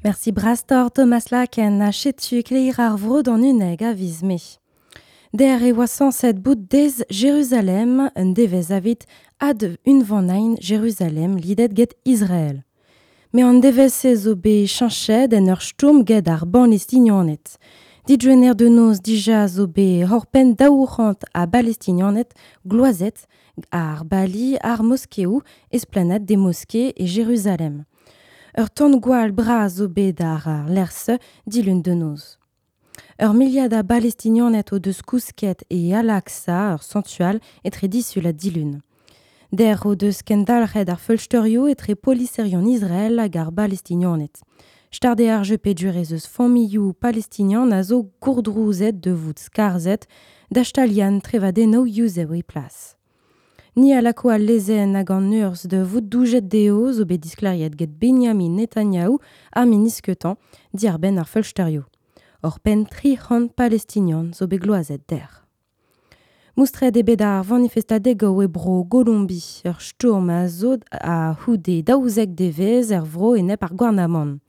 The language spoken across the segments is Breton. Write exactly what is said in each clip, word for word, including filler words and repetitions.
Merci brastor Thomas Laken a chetu kleir ar vro d'an uneg a viz me. Der e oa sañset bout dez Jérusalem, un devez avit ad unvanain Jérusalem lidet get Israël. Me an devez se zo bet cheñchet en ur stourm get ar Balestinianed. Didjener de noz dija zo bet horpen daou c'hant a Balestinianed gloazet ar bali ar moskeoù esplanade des mosquées e Jérusalem. Ur tan gwall bras zo bet ar ar lec'h-se dilun de noz. Ur miliad a Balestinianed o deus kousket e Al-Aqsa, ur santual, etre disul ha dilun. Der o deus kendalc'het ar feulsterioù etre poliserion Israël hag ar Balestinianed. Start eo ar jeu peogwir eus familhoù palestinian a zo gourdrouzet de vout skarzhet da stalian trevadennoù yuzev e plas. Ni a lako al lezenn hag an urzh de vout doujet dezho zo bet disklêriet get Benjamin Netanyahu ar ministr diàr-benn ar feulsterioù. Ur penn tri c'hant palestinian zo bet gloazet der. Moustret eo bet ar vanifestadegoù e bro Golombi, ur stourm a zo a c'houde daouzek devezh er vro enep ar gouarnamant.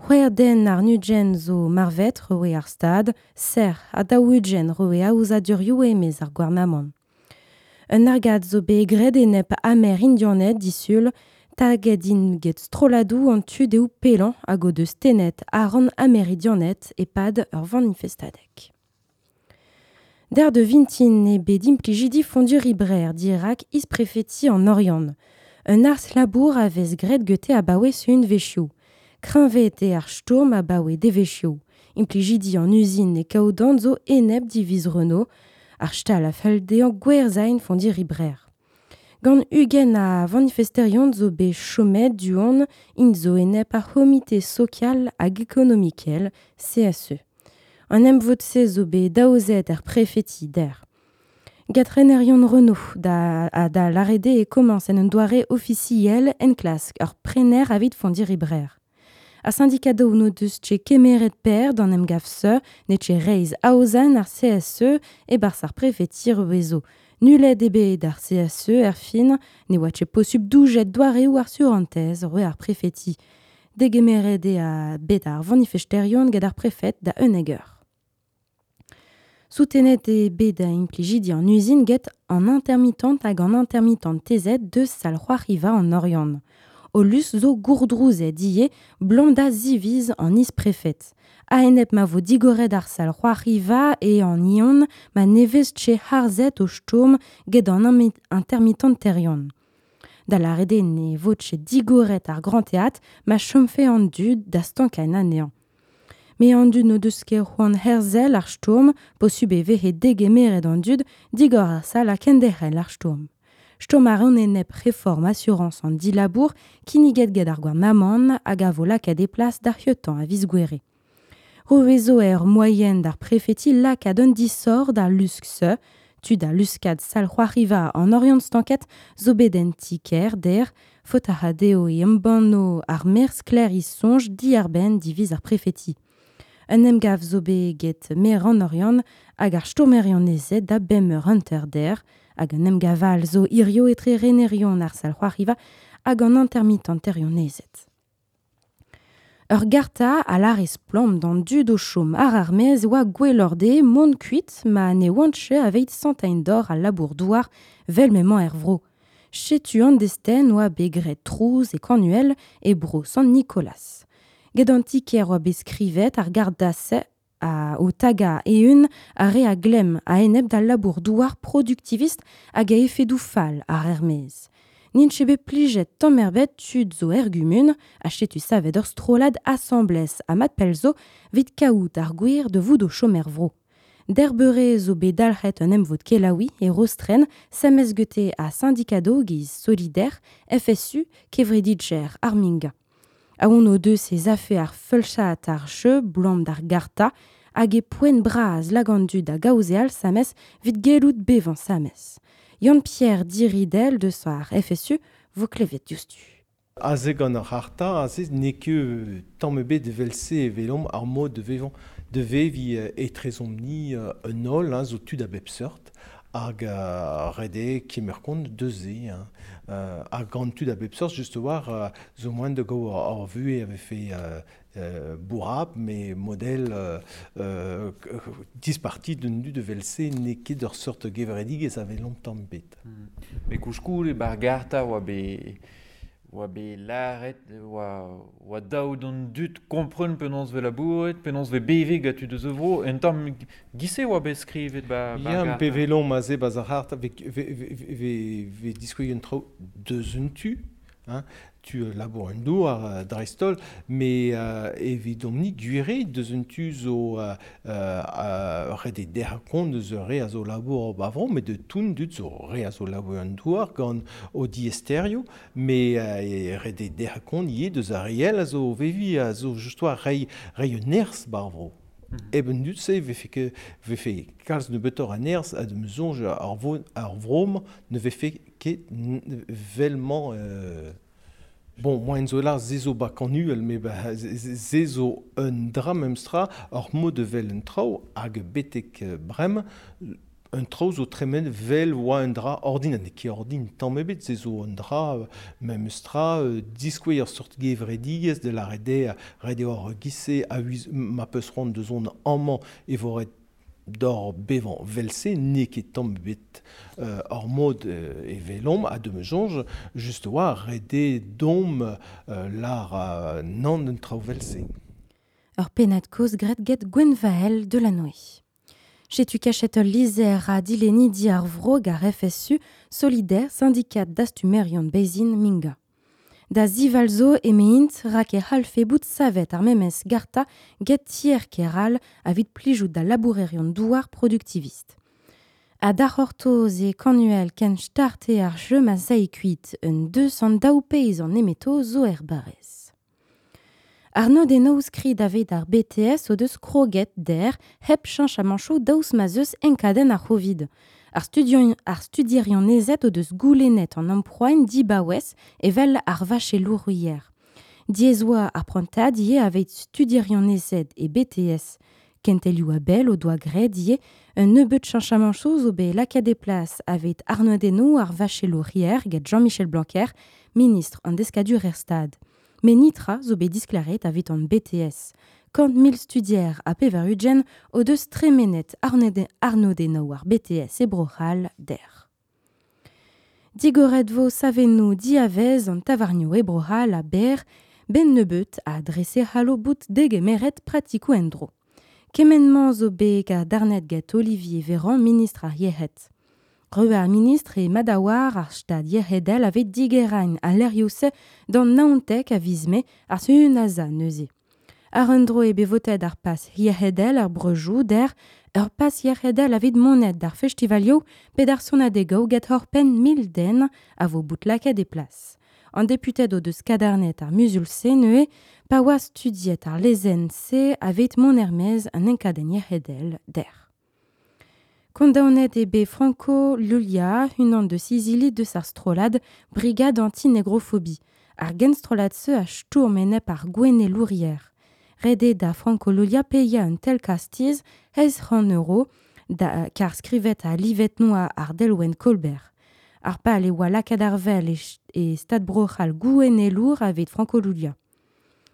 C'hwec'h den àr-ugent zo marvet roe ar stad, serr ha daou-ugent roe aozadurioù e-maez ar gouarnamant. Un argad zo bet graet enep Amerindianed disul, taget int get strolladoù an tu dehoù pellañ hag o deus tennet àr an Amerindianed e-pad ur vanifestadeg. Der de vintin eo bet implijidi Fonduri Brer dirak isprefeti an Oriant. Un harz-labour a vez graet gete abaoe sizhunvezhioù. Kreñvaet eo ar stourm abaoe devezhioù. Implijidi an uzin e Kaodan zo enep diviz Renault, ar stal a fell dezhañ gwerzhañ Fonduri Brer. Gant ugent a vanifesterion zo bet chomet du-hont int zo enep ar c'homite sokial hag ekonomikel C S E. An emvod-se zo bet daozet er prefeti der. Get renerion Renault da, a da lâret eo e komañs en un doare ofisiel enklask ur prener avit Fonduri Brer. Ar sindikadoù n'o deus ket kemeret perzh d'an emgav-se, n'eo ket reizh aozañ ar C S E e-barzh ar prefeti hervezo. Nullet eo bet ar C S E er fin, ne oa ket posupl doujet doareoù ar surentez roe ar prefeti. Degemeret eo bet ar vanifesterion get ar prefed da unnek eur. Soutenet eo bet implijidi an uzin get an intermittent hag an intermittentezed deus sal c'hoariva an Oriant. O lusk zo gourdrouzet ivez 'blam da ziviz an isprefed. A-enep ma vo digoret ar sal c'hoariva e an Ion ma ne vez ket harzet o stourm get an intermittenterion. Da lâret eo ne vo ket digoret ar Grand Théâtre ma chomfe an dud da stankañ anezhañ. Met an dud n'o deus ket c'hoant herzel ar stourm, posupl e vehe degemeret an dud, digor ar sal ha kenderc'hel ar stourm. Stourm a reont enep reform asurañs an dilabour kinniget get ar gouarnamant hag a vo lakaet e plas d'ar c'hentañ a viz Gouhere. Roet zo ur moaien d'ar prefeti lakaat un disoc'h d'ar lusk-se, tud a luskad sal c'hoariva an Oriant stanket zo bet en ti-kêr der, faot a ra dezho e embanno ar maer sklaer e soñj diàr-benn diviz ar prefeti. Un emgav zo bet get maer an Oriant hag ar stourmerion-ezed da bemp eur hanter der, hag un emgav all zo hirio etre renerion ar sal c'hoariva hag an intermittenterion-ezed. Ur garta a lâre splann d'an dud o chom àr ar maez oa gwelloc'h dezhe mont kuit ma ne oant ket aveit santañ doc'h al labour-douar 'vel m'emañ er vro. Setu an destenn oa bet graet trouz e Kanuel e bro Sant-Nikolaz. Get an ti-kêr oa bet skrivet ar garta-se a o tagañ eeun ar re a glemm a-enep d'al labour-douar produktivist hag a efedoù fall àr ar maez. N'int ket bet plijet tamm ebet tud zo er gumun, ha setu savet ur strollad asambles ha mat pell zo 'vit kaout ar gwir da vout o chom er vro. Der beure zo bet dalc'het un emvod kelaouiñ e Rostren, sames gete a syndikadoù giz Solidaire, F S U, kevredigezh ar Minga. Aon o deus ez afe ar feulsad ar jeu 'blam d'ar garta hag eo poent bras lak an dud da gaozeal sames 'vit gellout bevañ sames. Yann-Pierre Diridel deus ar F S U vo klevet diouzhtu. Aze gant ar c'harta, aze n'eo ket tamm ebet evel-se e welomp ar mod de vevañ de veviñ etrezomp-ni un holl, hein, zo tud a bep seurt, Hag uh, rede kemer kont deus se, hein. Uh, hag gant tud a bep seurt, just war, uh, zo moaien da gaout ar vue avait fait euh, euh, bourrab, mais modèle euh, euh, disparti d'un du de velse n'eo ket ur seurt gevredigezh a longtemps bet. Mm. Me koulskoude bar garta oa bet oa bet lâret, oa, oa daou d'an dud kompren penaos ve labouret, penaos ve beve gant tud eus vro, en tamm gise oa bet skrivet ba, ba Ya, pe velon ma ze ba ar c'hart, ve, ve, ve, ve, ve diskouez un traoù deus un tu, hein, tu labour un douar euh, dreistol, mais euh, evidomp-ni gwire deus un tu zo euh, euh, ret e derc'h kont deus ur re a zo labour bavron, mais de toun dud zo re a zo labour un douar gant o diesterio, mais euh, ret e derc'h kont ivez deus ar riel a zo vevi a zo just war rei, rei un nerz barvro. Mm -hmm. Eben dud se vefe ket vefe kalz nebeutoc'h a nerzh a de soñj ar, vo, ar vrom ne vefe ket velmañ euh, Bon, moaien zo lar se zo ba kanuel, me ba se zo un dra memestra ur mod de vel un traoù hag betek brem un traoù zo tremen vel oa un dra ordin, ha n'eo ket ordin tamm ebet, se zo un dra memestra diskouez ur seurt gevredigezh de la rede rede ur gise a wiz ma peus c'hoant deus on amañ e vo ret d'or bevañ vel-se n'eo ket tamm ebet euh, ur mod euh, e velomp a de me soñj just oa rede dom euh, lar euh, nann un traoù vel-se. Ur pennad kozh graet get Gwenvael de la Noé. Chetu kachet ul lizer a dileni di ar vro gar F S U solidaire syndicat dastumerion bezin minga. Da zivalzo emeint rak e halfe bout savet ar memes garta get tier keral avit plijout da labourerion douar productiviste. A da c'hortoz e kanuel ken starte ar jeu ma zai kuit un deux cent daou peiz an emeto zo er barrez. Arnaud Denaou skrid aveit ar B T S o deus kroget der hep cheñch a manchoù daoust ma zeus enkadenn ar Covid. Ar studion, ar studierion ezet o deus goulennet an emproain dibaouez evel ar vachelourier. Diez oa ar prantad ivez aveit studierion ezet e B T S. Kentelioù a bell o doa graet ivez un nebeut cheñchamanchoù zo bet lakaet e plas aveit Arnaud Denaou ar vachelourier get Jean-Michel Blanquer, ministre an deskadur er stad. Mais nitra zo bet disklaret aveit an B T S. Kant mil studier a pevar ugent o deus tremenet Arnaud Denaou ar B T S e Bro-C'hall der. Digoret vo savennoù diavez an tavarnioù e Bro-C'hall a ber ben nebeut a drese c'hallo bout degemeret pratikoù en-dro. Kement-mañ zo bet gant darnet get Olivier Véran, ministre ar yec'hed. Re ar ministre e madawar ar stad yec'hedel aveit digerain a lerioù-se d'an naontek a viz mae ar sunaza neuze. Ar un dro e bet votet ar pas yec'hedel ar breujoù der ur pas yec'hedel aveit monet d'ar festivalioù pe d'ar sonadegoù get hor penn mil den a vo bout lakaet e plas. An deputed o deus kadarnet ar muzul-se neuze pa oa studiet ar lezenn-se aveit mont er-maez an enkadenn yec'hedel der. Kondaonet eo bet Franco Lulia, unan deus izili deus ar strollad Brigade anti-négrophobie. Ar genstrolad-se a stourm enep ar gouennelourier. Ret eo da Franco Lulia paeañ un tel kastiz eizh c'hant euro da, kar skrivet ha livet noa ar delwenn Colbert. Ar pal e oa lakaet ar vel e, e stad Bro-C'hall gouennelour aveit Franco Lulia.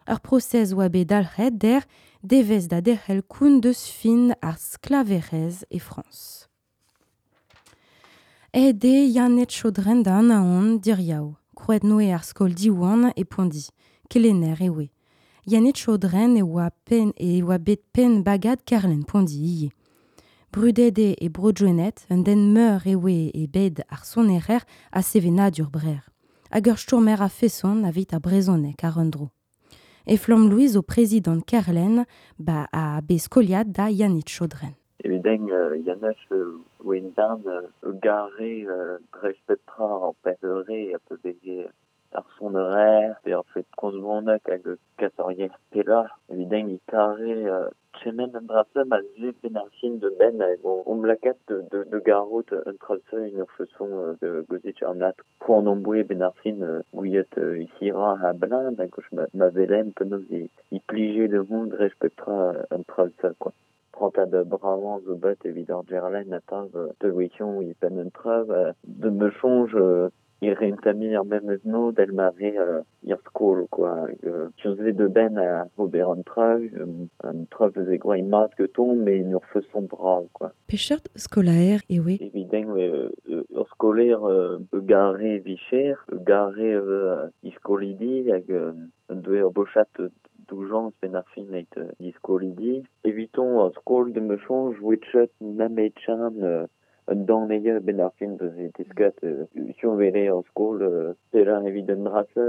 Ur prosez oa bet dalc'het der devez da derc'hel koun deus fin ar sklaverezh e Frañs. Aet eo Yannet Chaudren da Anaon diriaou, krouet noe ar skol Diwan e Pondi, kelenner e oe. Yannet Chaudren e oa pen e oa bet penn bagad Kerlenn Pondi ivez. Brudet eo e Bro-Gwened, un den meur e oe e bed ar sonerer ha sevenadur brer. Hag ur stourmer a feson aveit ar brezhoneg ar un dro. E Flamme Louise o prezidant Kerlenn ba a bet skoliad da Yannick Chaudren. Evident, euh, Yannick euh, Wendan euh, gare euh, dreist pep tra an peure a peu beze ar sonerer pe ar fet komz hag kas ar yer pella. Evident, i kare euh, tremen an dra-se ma ze ben ar fin de ben hag on, on lakat de, de, de garot un dra-se en ur feson euh, de gozet ar nat. Poan an boe ben ar fin euh, gouiet euh, isira ha blind hag ma, ma velem penaos i, i plije de mont dreist pep tra un dra-se, quoi. prantad bravant zo bet evit ar gerlen atav de wekion i pen un trav de me chonj ir rentami ar memes no del mare ir skol quoi tu de ben a ober an trav un trav eus e groa mat que ton mais ur feson brav quoi. Pechert skolaer ewe Evident ur skolaer gare vicher gare iskolidi hag un doe ur bochat doujans ben ar fin eit iskolidi. Eviton ur skol de me chonj wetchet nametchan un dan eo ben ar fin deus e teskat sur vele ur skol pela evit un drase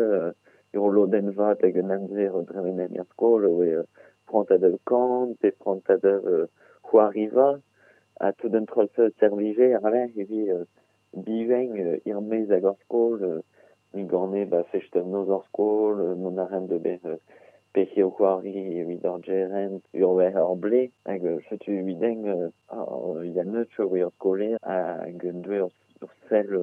ur lodenn vat hag un amzer dremenen er skol oe prantad ur kant pe prantad ur c'hoariva a tout un troll servije ar le evi biven ir mez hag ur skol ni gorne ba fecht noz ur skol mon arem de ber pehe o c'hoari evit ar gerent ur wer ar ble hag setu evident ya neut oe ur skolaer hag un doe ur sell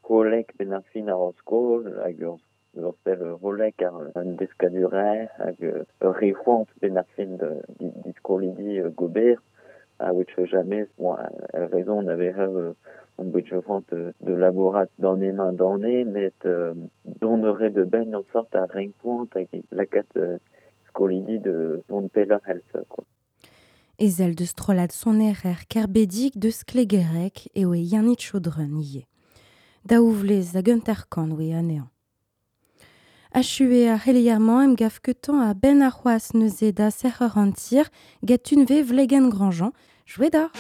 holek ben ar fin ar skol hag ur ur sell holek ar un deskadurer hag ur re c'hoant ben ar fin di skolidi gober a wech jamais bon a raison on avait on bet c'hoant de labourat d'an emañ d'an met donere de ben en sorte a renkoant hag lakat skolidi de don peller helse quoi. Ezel de strollad sonerer kerbedig de sklegerek eo e Yannick Chaudron ie. Daouvlez hag un terkan oe anezhañ. Achue a c'heliermañ em gaf ketan a ben ar c'hoaz neuze da serc'heur an tir get unve vlegen Grandjean, jouet d'ar.